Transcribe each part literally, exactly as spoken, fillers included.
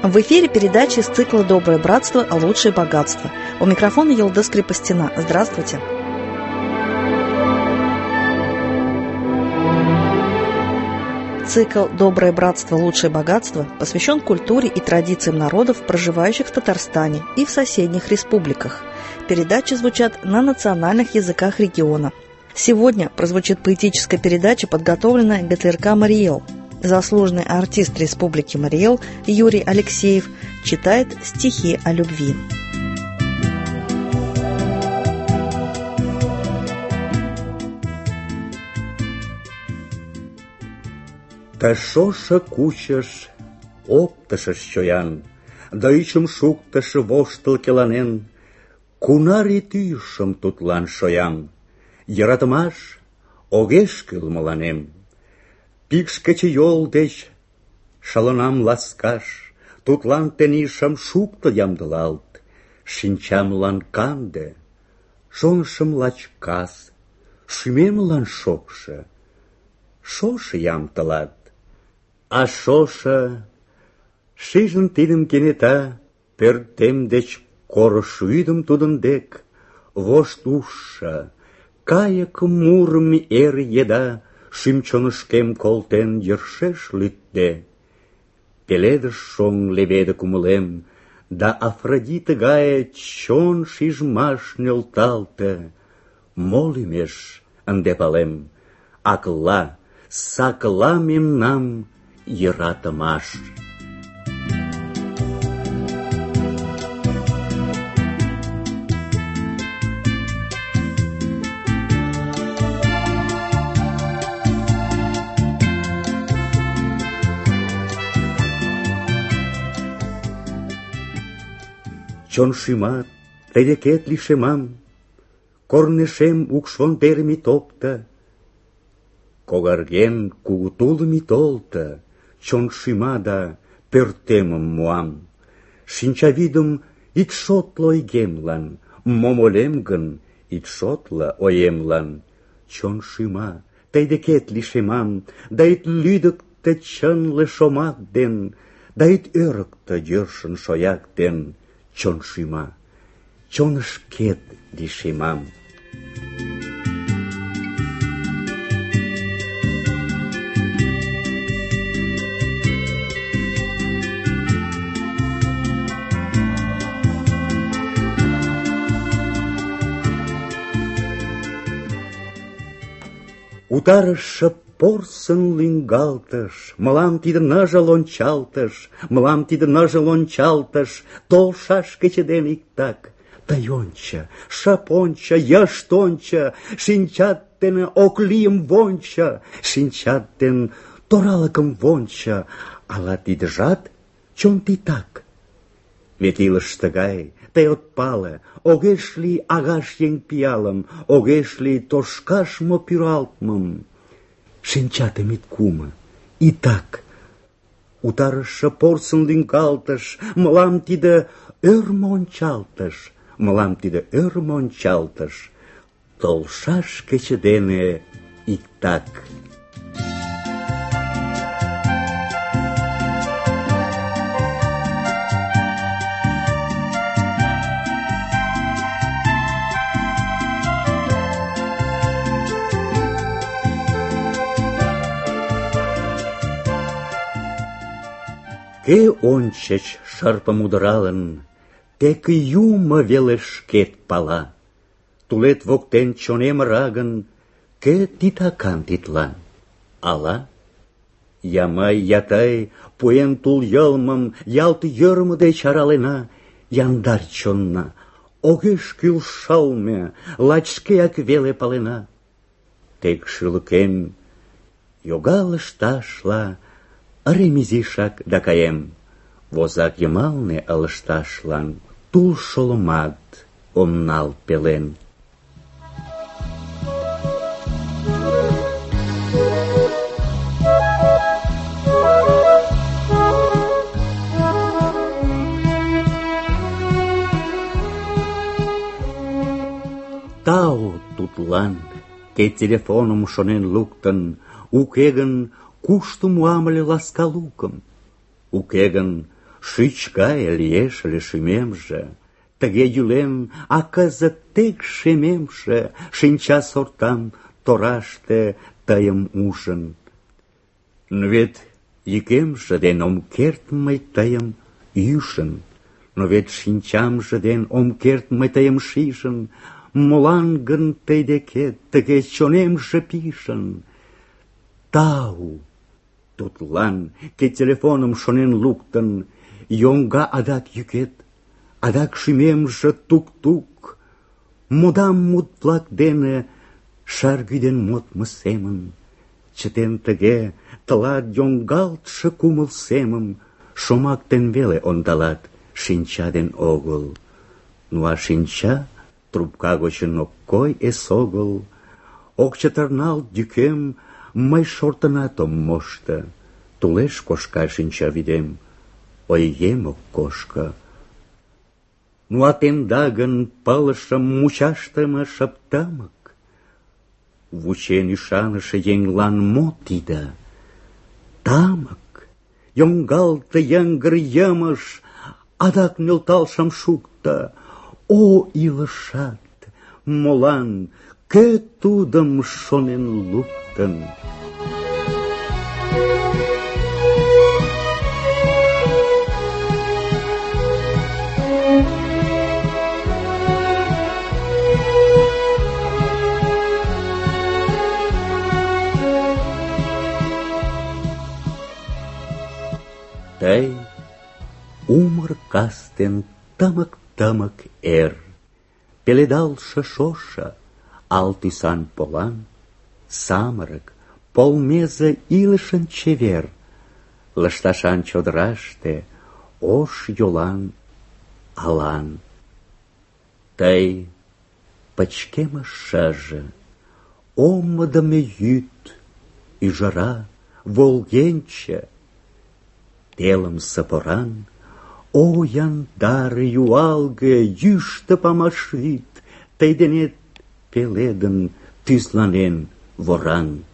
В эфире передача из цикла «Доброе братство. Лучшее богатство». У микрофона Йылдыз Крепостина. Здравствуйте. Цикл «Доброе братство. Лучшее богатство» посвящен культуре и традициям народов, проживающих в Татарстане и в соседних республиках. Передачи звучат на национальных языках региона. Сегодня прозвучит поэтическая передача, подготовленная ГТРК «Мариэл». Заслуженный артист Республики Мариэл Юрий Алексеев читает стихи о любви. Та шоша кучаш, оптышыш чоян, да ӱчым шуктыш воштыл келанен, кунаре тӱйышым тудлан шоям, йӧратымаш огеш кӱл мыланем. Пикш кечыйол деч шалынам ласкаш, тудлан тений шым шуктыл ямдылалт, шинчамлан канде, шонышым лач кас, шӱмемлан шокшо, шошо ям тылат. А шошо, шижын тидым кенета, пӧртем деч корыш вӱдым тудын дек, вошт ужшо, кайык мурым эр еда, шӱм-чонышкем колтен йӧршеш лӱдде. Пеледыш шоҥ леведе кумылем, да Афродита гае чон шижмаш нӧлталте. Мо лӱмеш ынде палем, акла, сакла мемнам йӧратымаш. Чон шӱмат, тый декет лишемам, корнешем укш вондерым ит опто, когарген кугу тулым ит олто, чон шӱма да пӧртемым муам. Шинчавӱдым ит шотло ойгемлан, мом ойлем гын, ит шотло оемлан. Чон шӱма, тый декет лишемам, да ит лӱдыктӧ чынле шомак ден, да ит ӧрыктӧ йӧршын шояк ден. Чон шӱма, чонышкет лишемам. Утарыше порсын лӱҥгалтыш, мылам тиде ныжыл ончалтыш, мылам тиде ныжыл ончалтыш, толшаш кече ден иктак. Тый ончо, шып ончо, йышт ончо, шинчат дене ок лийым вончо, шинчат ден торалыкым вончо, ала тидыжат чон титак? Вет илыш тыгай, тый от пале, огеш лий агаш еҥ пиалым, огеш лий тошкаш мо пӱралтмым. Шинчатым ит кумо, итак. Утарыше порсын лӱҥгалтыш, мылам тиде ӧрмӧ ончалтыш, мылам тиде ӧрмӧ ончалтыш, толшаш кече дене иктак. Кӧ ончыч шырпым удыралын, тек юмо веле шкет пала. Тулет воктен чонем ыра гын, кӧ титакан тидлан? Ала? Я мый, я тый, пуэн тул йылмым, ялт йӧрмӧ деч аралена, яндар чонна, огеш кӱл шылме, лач шкеак веле палена. Тек шӱлыкем йога лышташла, ырем изишак да каем, возак йымалне ылыжташлан тул шолымат ом нал пелен. Тау тудлан, кӧ телефоным шонен луктын, уке гын, кушто муам ыле ласка лукым? Уке гын, шӱч гае лиеш ыле шӱмемже, тыге йӱлем, а кызыт тек шемемше, шинча сортам тораште тыйым ужын. Но вет йӱкемже ден ом керт мый тыйым ӱжын, но вет шинчамже ден ом керт мый тыйым шижын, молан гын тый декет тыге чонемже пижын? Тау тудлан, кеч телефоным шонен луктын, йоҥга адак йӱкет, адак шӱмемже тук-тук, модам мут-влак дене шаргӱден модмо семын. Чытен тыге тылат йоҥгалтше кумыл семым, шомак ден веле ондалат, шинча ден огыл. Ну а шинча трубка гочын ок кой эсогыл, ок чытырналт йӱкем, мый шортынат ом мошто. Тулеш кошка шинчавӱдем, ойгем ок кошко. Ну а темда гын пылышым мучашдыме шып тымык, вучен ӱшаныше еҥлан мо тиде? Тамык, йоҥгалте йыҥгыр йымыш, адак нӧлтал шым шукто. О, илышат, молан, кӧ тудым шонен луктын? Тый умыр кастен тымык-тымык эр, пеледалше шошо, ал тӱсан полан, самырык, полмезе илышын чевер, лышташан чодыраште ош йолан алан. Тый пычкемыш шыже, омыдымо йӱд, ӱжара, волгенче, телымсе поран, о яндар, юалге, йӱштӧ памаш вӱд, тый денет пеледын, тӱзланен воран.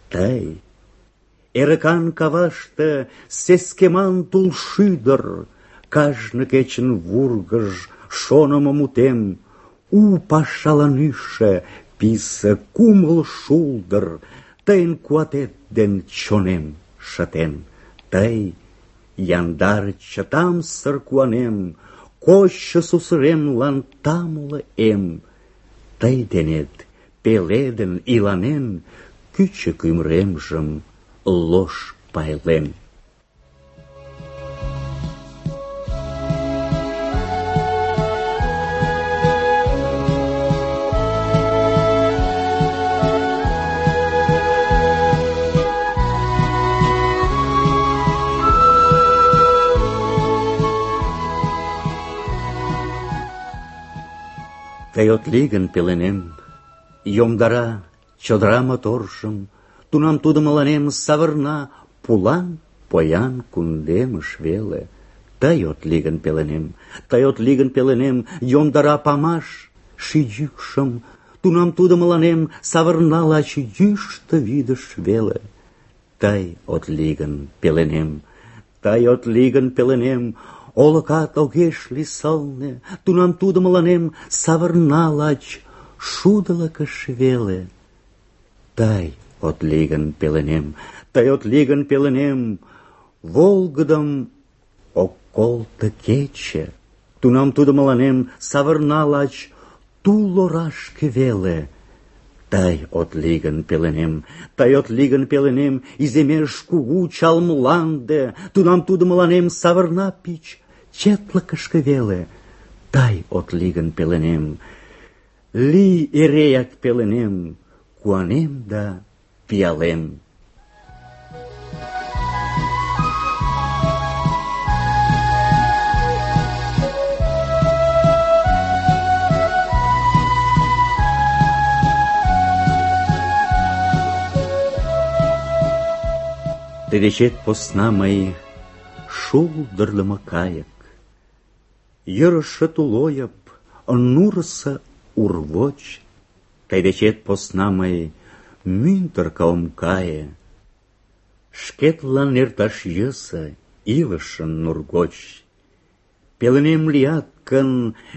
Тый, эрыкан каваште сескеман тул шӱдыр, кажне кечын вургыж шонымо мутем, у пашалан ӱжшӧ писе кумыл шулдыр, тыйын куатет ден чонем шытен. Тый, яндар чытамсыр куанем, кочшо сусыремлан тамле эм. Тый денет пеледын иланен, кӱчык ӱмыремжым лош пайлем. Тый от лий гын пеленем, йомдара чодыра моторжым, тунам тудо мыланем савырна пулан поян кундемыш веле. Тый от лий гын пеленем, тый от лий гын пеленем, йомдара памаш ший йӱкшым, тунам тудо мыланем савырна лач йӱштӧ вӱдыш веле. Тый от лий гын пеленем, тый от лий гын пеленем, олыкат огеш лий сылне, тунам тудо мыланем савырна лач шудылыкыш веле. Тый от лий гын пеленем, тый от лий гын пеленем, волгыдым ок колто кече, тунам тудо мыланем савырна лач тул орашке веле. Тый от лий гын пеленем, тый от лий гын пеленем, иземеш кугу чал мланде, тунам тудо мыланем савырна пич четлыкышке веле. Тый от лий гын пеленем, лий эреак пеленем, куанем да пиалем. Тый дечет посна мый шулдырлымо кайык, йӧрышӧ тулойып, нурысо урвоч. Тый дечет посна мый мӱндыркӧ ом кае, шкетлан эрташ йӧсӧ илышын нур гоч. Пеленем лият гын,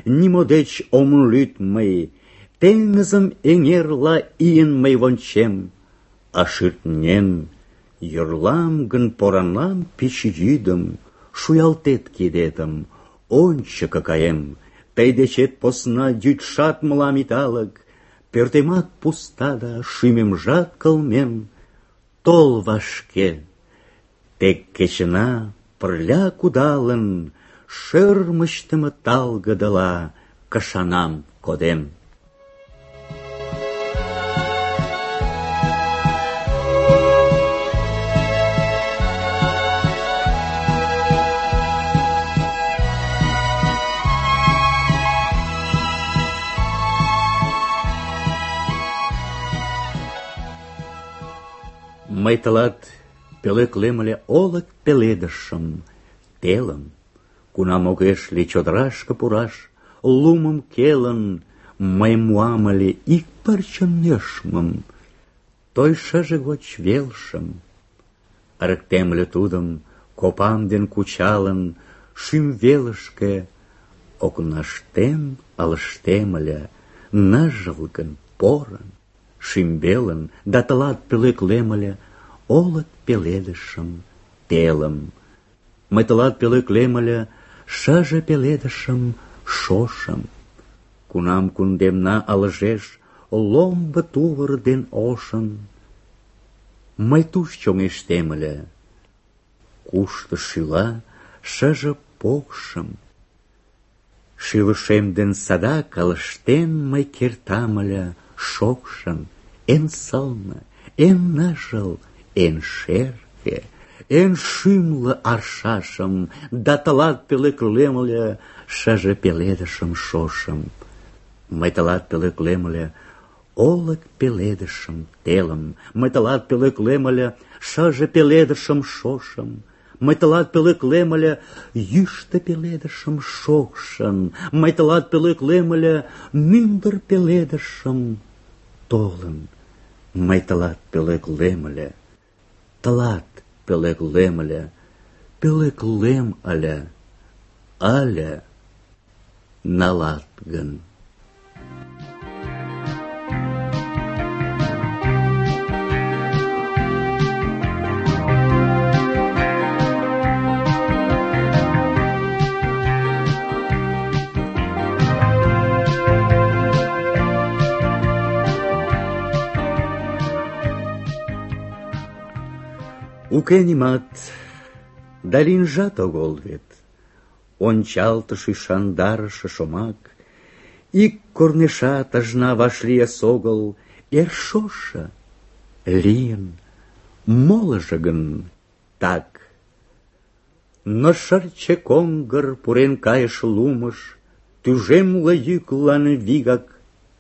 нимо деч ом лӱд мый, теҥызым эҥерла ийын мый вончем, а шӱртнен йӧрлам гын поранлан пич йӱдым, шуялтет кидетым, ончыко каем. Тый дечет посна йӱдшат мылам италык, пӧртемат пуста да шӱмемжат кылмен. Тол вашке, тек кечына пырля кудалын, шӧрмычтымӧ талгыдыла кышанам кодем. Мый тылат пӧлеклем ыле олык пеледышым, телым, кунам огеш лий чодырашке пураш, лумым келын, мый муам ыле ик пырче нӧшмым, той шыже гоч велшым. Ырыктем ыле тудым, копам ден кучалын, шӱм велышке окнаштем ылыжтем ыле, ныжылгын, порын, шӱмбелын, да тылат пӧлеклем ыле олык пеледышым, телым. Мый тылат пӧлеклем ыле шыже пеледышым, шошым. Кунам кундемна ылыжеш ломбо тувыр ден ошын, мый туш чоҥештем ыле, кушто шӱла шыже покшым. Шӱлышем ден садак ылыжтен мый кертам ыле шокшын, эн сылне, эн ныжыл, эн шерге, эн шӱмлӧ аршашым, да тылат пӧлеклем ыле шыже пеледышым, шошым. Мый тылат пӧлеклем ыле олык пеледышым, телым. Мый тылат пӧлеклем ыле шыже пеледышым, шошым. Мый тылат пӧлеклем ыле йӱштӧ пеледышым, шокшын. Мый тылат пӧлеклем ыле мӱндыр пеледышым, толын. Мый тылат пӧлеклем ыле, тылат пӧлеклем ыле, пӧлеклем ыле, ыле налат гын. Уке нимат, да лийынжат огыл вет, ончалтыш ӱшандарыше шомак, ик корнешат ыжна вашлие согыл, эр шошо лийын, молыжо гын так. Но шырче коҥгыр пурен кайыш лумыш, тӱжемле йӱклан вигак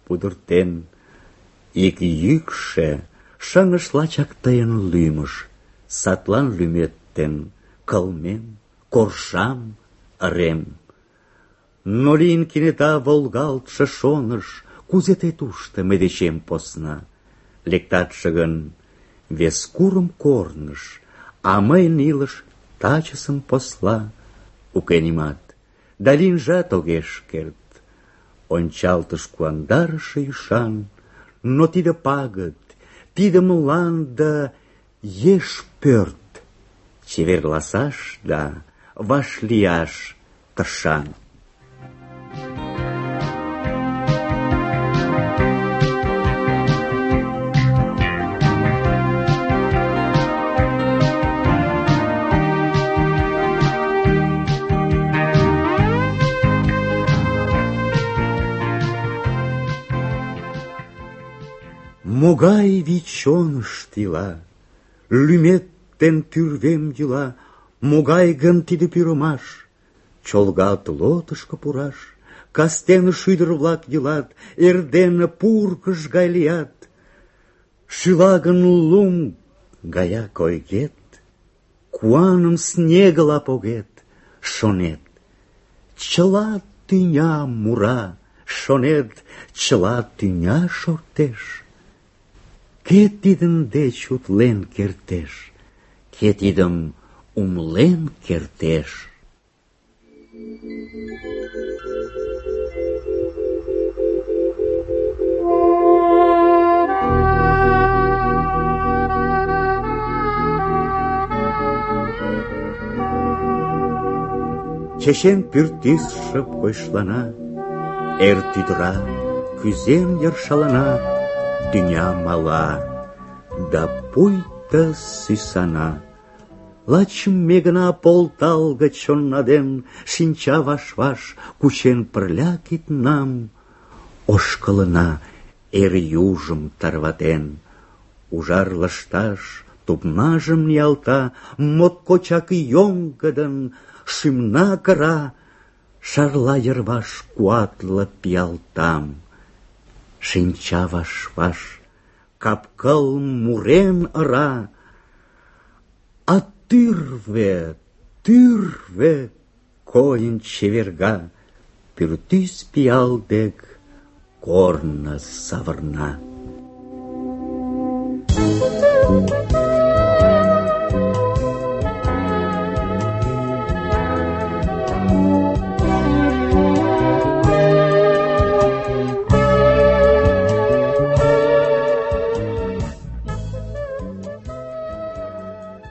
пудыртен. Ик йӱкшӧ шыҥыш лачак тыйын лӱмыш, садлан лӱметтен кылмем, коршам, ырем. Но лийын кенета волгалтше шоныш, кузе тый тушто мый дечем посна? Лектатше гын вес курым корныш, а мыйын илыш тачысым посла. Уке нимат, да лийынжат огеш керт, ончалтыш куандарыше ӱшан. Но тиде пагыт, тиде мланда еш пӧрт, чеверласаш да вашлияш тышан. Могай вий чонышт ила, лӱмет ден тӱрвем йӱла, могай гын тиде пӱрымаш? Чолгат лотышко пураш, кастене шӱдыр-влак йӱлат, эрдене пургыж гай лият. Шӱла гын лум гаяк ойгет, куаным снегыла погет, шонет. Чыла тӱня мура, шонет, чыла тӱня шортеш. Кӧ тидын деч утлен кертеш? Кӧ тидым умлен кертеш. Чечен пӱртӱс шып койышлана, эр тӱдыра, кӱзен йыр шалана, тӱня мала, да пуйто сӱсана. Лач ме гына полталге чонна ден, шинча ваш-ваш, кучен пырля киднам, ошкылына эр южым тарватен. Ужар лышташ тупнажым ниялта, моткочак йоҥгыдын шӱмна кыра, шарла йырваш куатле пиалтам. Шинча ваш-ваш, кап-кыл мурен ыра, а тӱрвӧ, тӱрвӧ койын чеверга, пӱртӱс пиал дек корно савырна.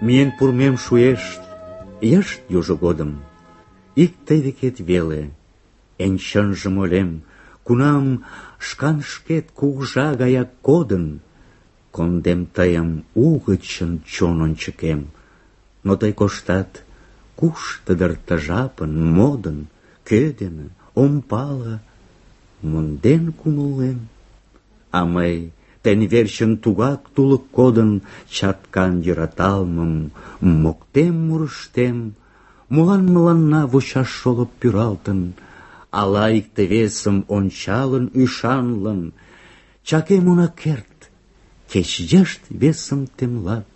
Миен пурмем шуэш йышт южо годым, ик тый декет веле, эн чынжым ойлем, кунам шкан шкет кугыжа гаяк кодын, кондем тыйым угычын чон ончыкем, но тый коштат, кушто дыр ты жапын, модын, кӧ дене, ом пале, монден кумылем. А мый тӹнь верчын тугак тулык кодын, чаткан йӧраталмым моктем мурыштем. Молан мыланна вучаш шолып пӱралтын, ала икте-весым ончалын ӱшанлын, чакем она керт, кеч йышт весым темлат.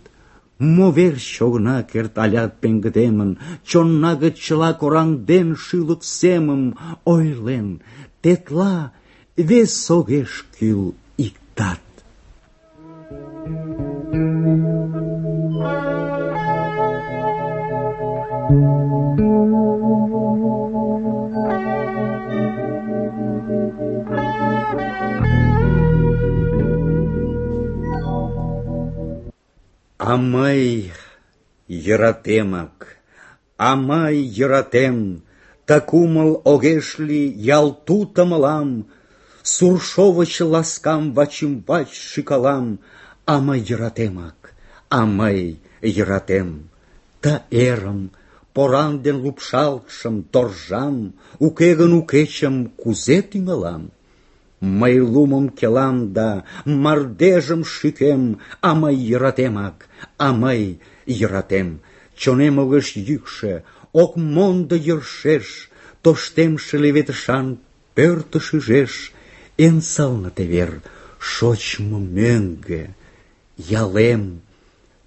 Мо верч огына керт алят пеҥгыдемын, чонна гыч чыла кораҥден шӱлык семым, ойлен, тетла вес огеш кӱл иктат. А мый йӧратемак, а мый йӧратем, та кумыл огеш лий ялту тымылам, сур шовыч ласкам вачӱмбач шӱкалам, а мый йӧратемак, а мый йӧратем, та эрым, поран ден лупшалтшым, торжам, уке гын укечым кузе тӱҥалам? Мый лумым келам да мардежым шӱкем, а мый йӧратемак, а мый йӧратем. Чонем огеш йӱкшӧ, ок мондо йӧршеш, тоштемше леведышан пӧртыш ӱжеш. Эн сылне тевер шочмо мӧҥгӧ, ялем.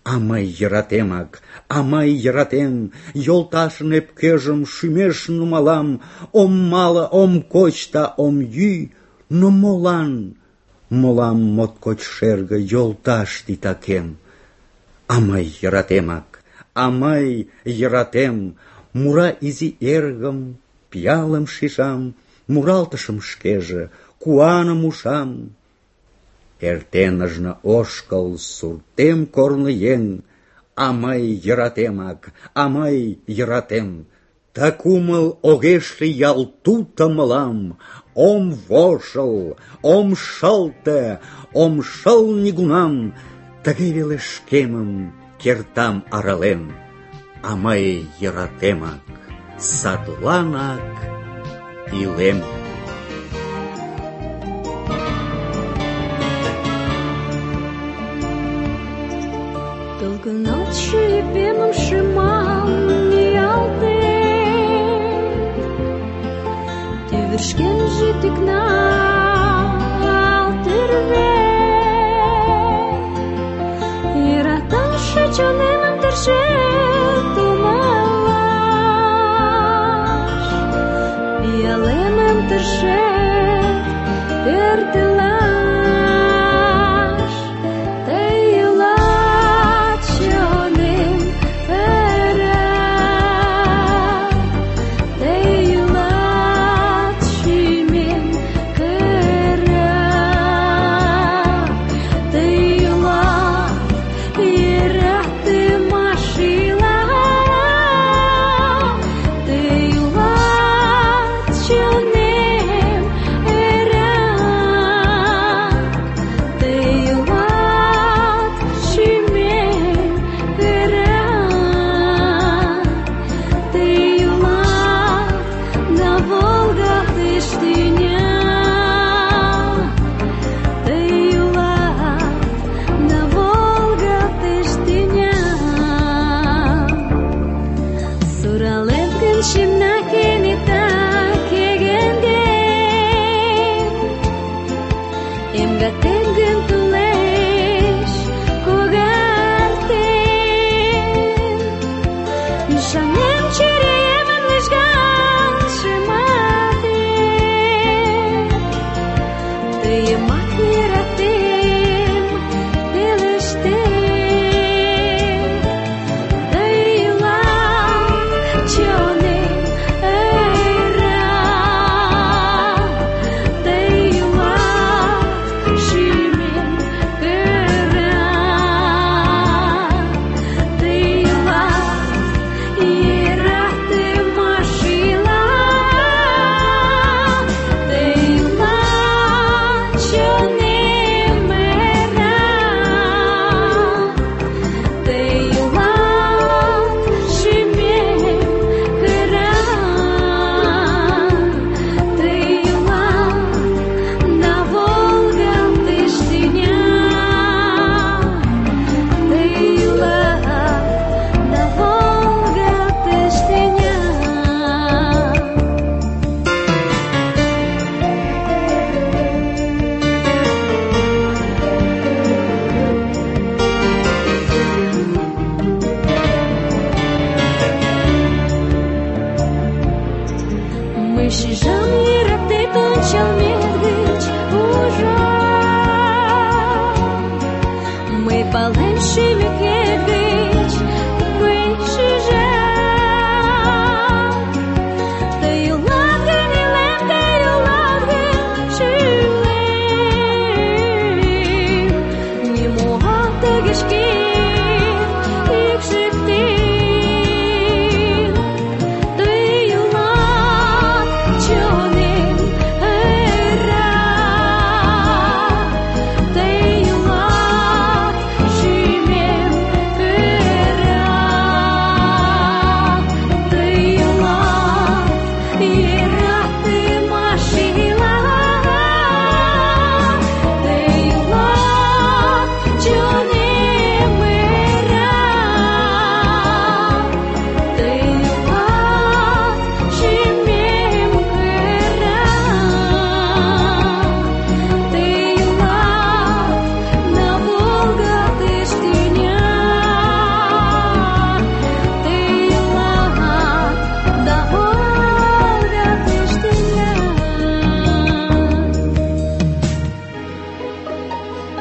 А мый йӧратемак, а мый йӧратем, йолташын ӧпкежым шӱмеш нумалам, ом мале, ом коч да ом йӱ, но молан, молан моткоч шерге йолташ титакем? А мый йӧратемак, а мый йӧратем, мура изи эргым, пиалым шижам, муралтышым шкеже, куаным ушам. Эртен ыжна ошкыл суртем корны еҥ, а мый йӧратемак, а мый йӧратем. Та кумыл огеш лий ялту тымылам, ом вожыл, ом шылте, ом шыл нигунам, тыге веле шкемым кертам арален. А мый йӧратемак, садланак илем. Долго ночью епемом шимал ниялтен, тӱвӹршкен тӱкнал тӹрвен, йӧраташы чонемым тыршен тумалаш, пиалемым тыршен пӧртылаш. Тый йӱлат чонем,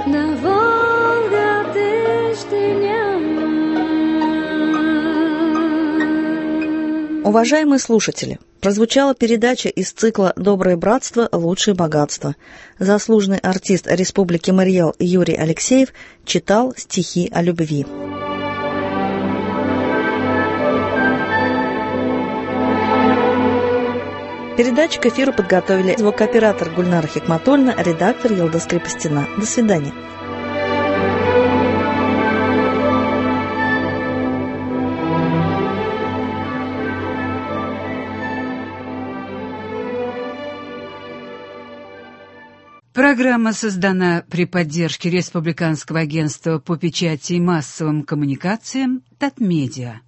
на Волга тыштыня. Уважаемые слушатели, прозвучала передача из цикла «Доброе братство. Лучшее богатство». Заслуженный артист Республики Марий Эл Юрий Алексеев читал стихи о любви. Передачу к эфиру подготовили звукооператор Гульнара Хикматульна, редактор Елда Скрипостина. До свидания. Программа создана при поддержке Республиканского агентства по печати и массовым коммуникациям «Татмедиа».